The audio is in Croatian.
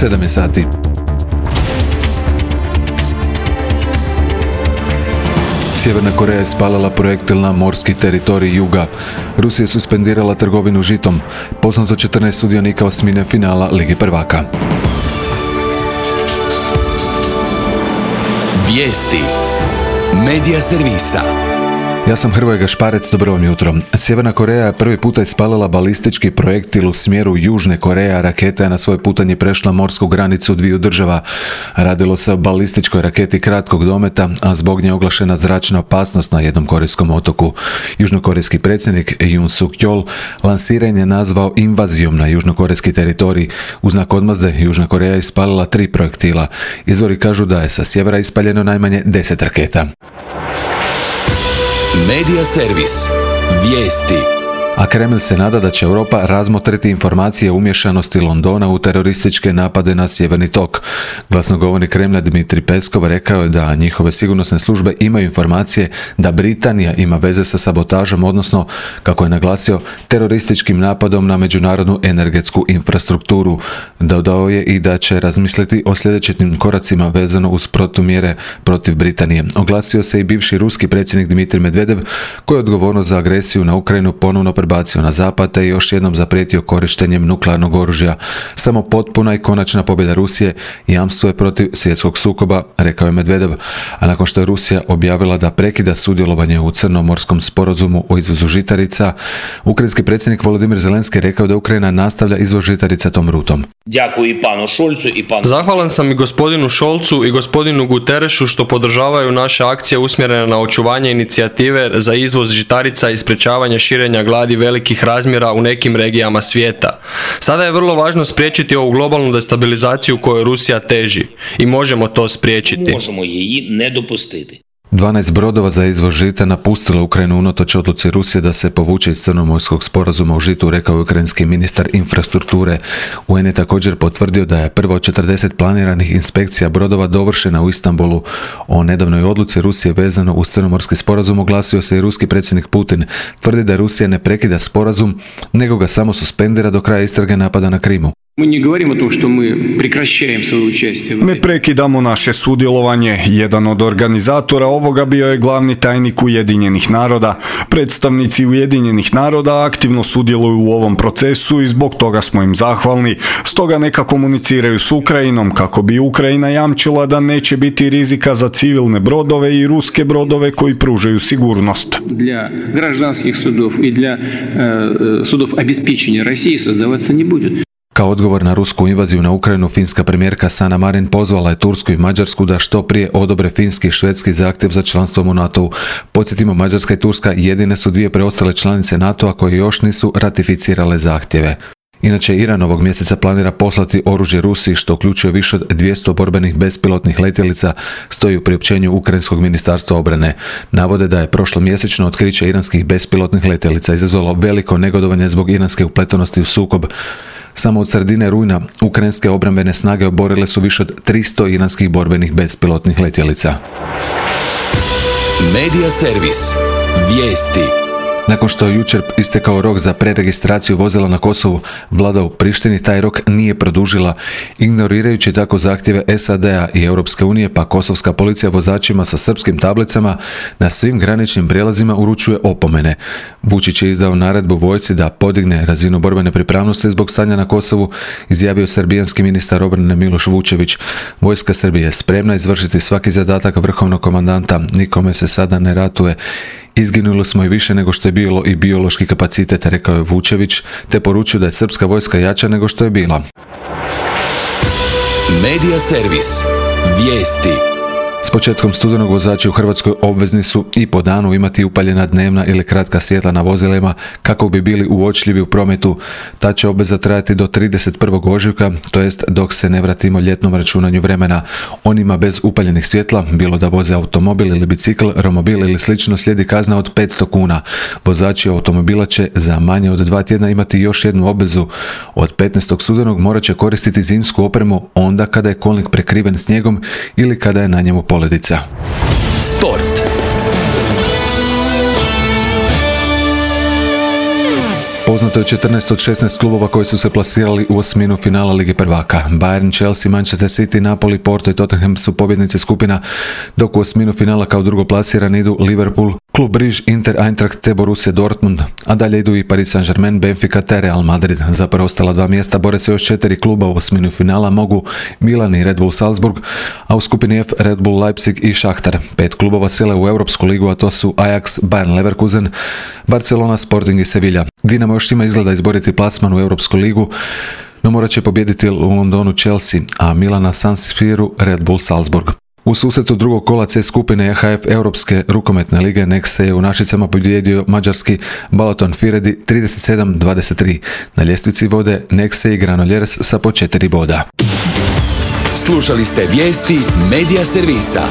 7 je sati. Sjeverna Koreja je spalila projektil na morski teritorij juga. Rusija je suspendirala trgovinu žitom. Poznato 14 sudionika osmine finala Lige prvaka. Vijesti Medija servisa. Ja sam Hrvoje Gašparec, dobro vam jutro. Sjeverna Koreja je prvi puta ispalila balistički projektil u smjeru Južne Koreje, a raketa je na svoje putanje prešla morsku granicu dviju država. Radilo se o balističkoj raketi kratkog dometa, a zbog nje je oglašena zračna opasnost na jednom korejskom otoku. Južnokorejski predsjednik Yoon Suk Yeol lansiranje je nazvao invazijom na južnokorejski teritorij. U znak odmazde Južna Koreja je ispalila 3 projektila. Izvori kažu da je sa sjevera ispaljeno najmanje 10 raketa. Medija servis. Vijesti. A Kreml se nada da će Europa razmotriti informacije o umješanosti Londona u terorističke napade na Sjeverni tok. Glasnogovornik Kremlja Dmitrij Peskov rekao je da njihove sigurnosne službe imaju informacije da Britanija ima veze sa sabotažom, odnosno, kako je naglasio, terorističkim napadom na međunarodnu energetsku infrastrukturu. Dodao je i da će razmisliti o sljedećim koracima vezano uz protumjere protiv Britanije. Oglasio se i bivši ruski predsjednik Dmitrij Medvedev, koji je odgovornost za agresiju na Ukrajinu ponovno prebacio na zapad te još jednom zaprijetio korištenjem nuklearnog oružja. Samo potpuna i konačna pobjeda Rusije jamstvo je protiv svjetskog sukoba, rekao je Medvedev. A nakon što je Rusija objavila da prekida sudjelovanje u Crnomorskom sporazumu o izvozu žitarica, ukrajinski predsjednik Volodimir Zelenski rekao da Ukrajina nastavlja izvoz žitarica tom rutom. Zahvalan sam i gospodinu Scholzu i gospodinu Guterresu što podržavaju naše akcije usmjerene na očuvanje inicijative za izvoz žitarica i sprječavanje širenja gladi velikih razmjera u nekim regijama svijeta. Sada je vrlo važno spriječiti ovu globalnu destabilizaciju kojoj Rusija teži i možemo to spriječiti. Možemo je ne dopustiti. 12 brodova za izvoz žita napustilo Ukrajinu unatoč odluci Rusije da se povuče iz Crnomorskog sporazuma o žitu, rekao je ukrajinski ministar infrastrukture. UN je također potvrdio da je prvo od 40 planiranih inspekcija brodova dovršena u Istanbulu. O nedavnoj odluci Rusije vezano uz Crnomorski sporazum oglasio se i ruski predsjednik Putin. Tvrdi da Rusija ne prekida sporazum, nego ga samo suspendira do kraja istrage napada na Krimu. Ne prekidamo naše sudjelovanje. Jedan od organizatora ovoga bio je glavni tajnik Ujedinjenih naroda. Predstavnici Ujedinjenih naroda aktivno sudjeluju u ovom procesu i zbog toga smo im zahvalni. Stoga neka komuniciraju s Ukrajinom kako bi Ukrajina jamčila da neće biti rizika za civilne brodove i ruske brodove koji pružaju sigurnost. Для гражданских судов и для судов обеспечения России создаваться не будет. Kao odgovor na rusku invaziju na Ukrajinu, finska premijerka Sanna Marin pozvala je Tursku i Mađarsku da što prije odobre finski i švedski zahtjev za članstvom u NATO-u. Podsjetimo, Mađarska i Turska jedine su dvije preostale članice NATO-a koje još nisu ratificirale zahtjeve. Inače, Iran ovog mjeseca planira poslati oružje Rusiji, što uključuje više od 200 borbenih bespilotnih letjelica, stoji u priopćenju Ukrajinskog ministarstva obrane. Navode da je prošlomjesečno otkriće iranskih bespilotnih letjelica izazvalo veliko negodovanje zbog iranske upletenosti u sukob. Samo od sredine rujna ukrajinske obrambene snage oborile su više od 300 iranskih borbenih bespilotnih letjelica. Medija servis. Vijesti. Nakon što je jučer istekao rok za preregistraciju vozila na Kosovu, vlada u Prištini taj rok nije produžila, ignorirajući tako zahtjeve SAD-a i Europske unije, pa kosovska policija vozačima sa srpskim tablicama na svim graničnim prijelazima uručuje opomene. Vučić je izdao naredbu vojsci da podigne razinu borbene pripravnosti zbog stanja na Kosovu, izjavio srbijanski ministar obrane Miloš Vučević. Vojska Srbije je spremna izvršiti svaki zadatak vrhovnog komandanta, nikome se sada ne ratuje. Izginuli smo i više nego što je bilo i biološki kapacitet, rekao je Vučević, te poručio da je srpska vojska jača nego što je bila. Medija servis. Vijesti. S početkom studenog vozači u Hrvatskoj obvezni su i po danu imati upaljena dnevna ili kratka svjetla na vozilima kako bi bili uočljivi u prometu. Ta će obveza trajati do 31. ožujka, to jest dok se ne vratimo ljetnom računanju vremena. Onima bez upaljenih svjetla, bilo da voze automobil ili bicikl, romobil ili slično, slijedi kazna od 500 kuna. Vozači automobila će za manje od 2 tjedna imati još jednu obvezu. Od 15. studenog morat će koristiti zimsku opremu onda kada je kolnik prekriven snijegom ili kada je na njemu poledica. Sport. Poznato je 14 od 16 klubova koji su se plasirali u osminu finala Lige prvaka. Bayern, Chelsea, Manchester City, Napoli, Porto i Tottenham su pobjednici skupina, dok u osminu finala kao drugoplasirani idu Liverpool, Klub Briž, Inter, Eintracht te Borussia Dortmund, a dalje idu i Paris Saint-Germain, Benfica te Real Madrid. Za preostala dva mjesta bore se još 4 kluba u osminu finala, mogu Milan i Red Bull Salzburg, a u skupini F Red Bull Leipzig i Šahtar. 5 klubova sile u Europsku ligu, a to su Ajax, Bayern Leverkusen, Barcelona, Sporting i Sevilla. Dinamo još ima izgleda izboriti plasman u Europsku ligu, no morat će pobijediti u Londonu Chelsea, a Milana San Siru Red Bull Salzburg. U susretu drugog kola C skupine EHF Europske rukometne lige Next se je u Našicama pobijedio mađarski Balaton Firedi 37-23. Na ljestvici vode Nexe i Granollers sa po 4 boda. Slušali ste vijesti Medija servisa.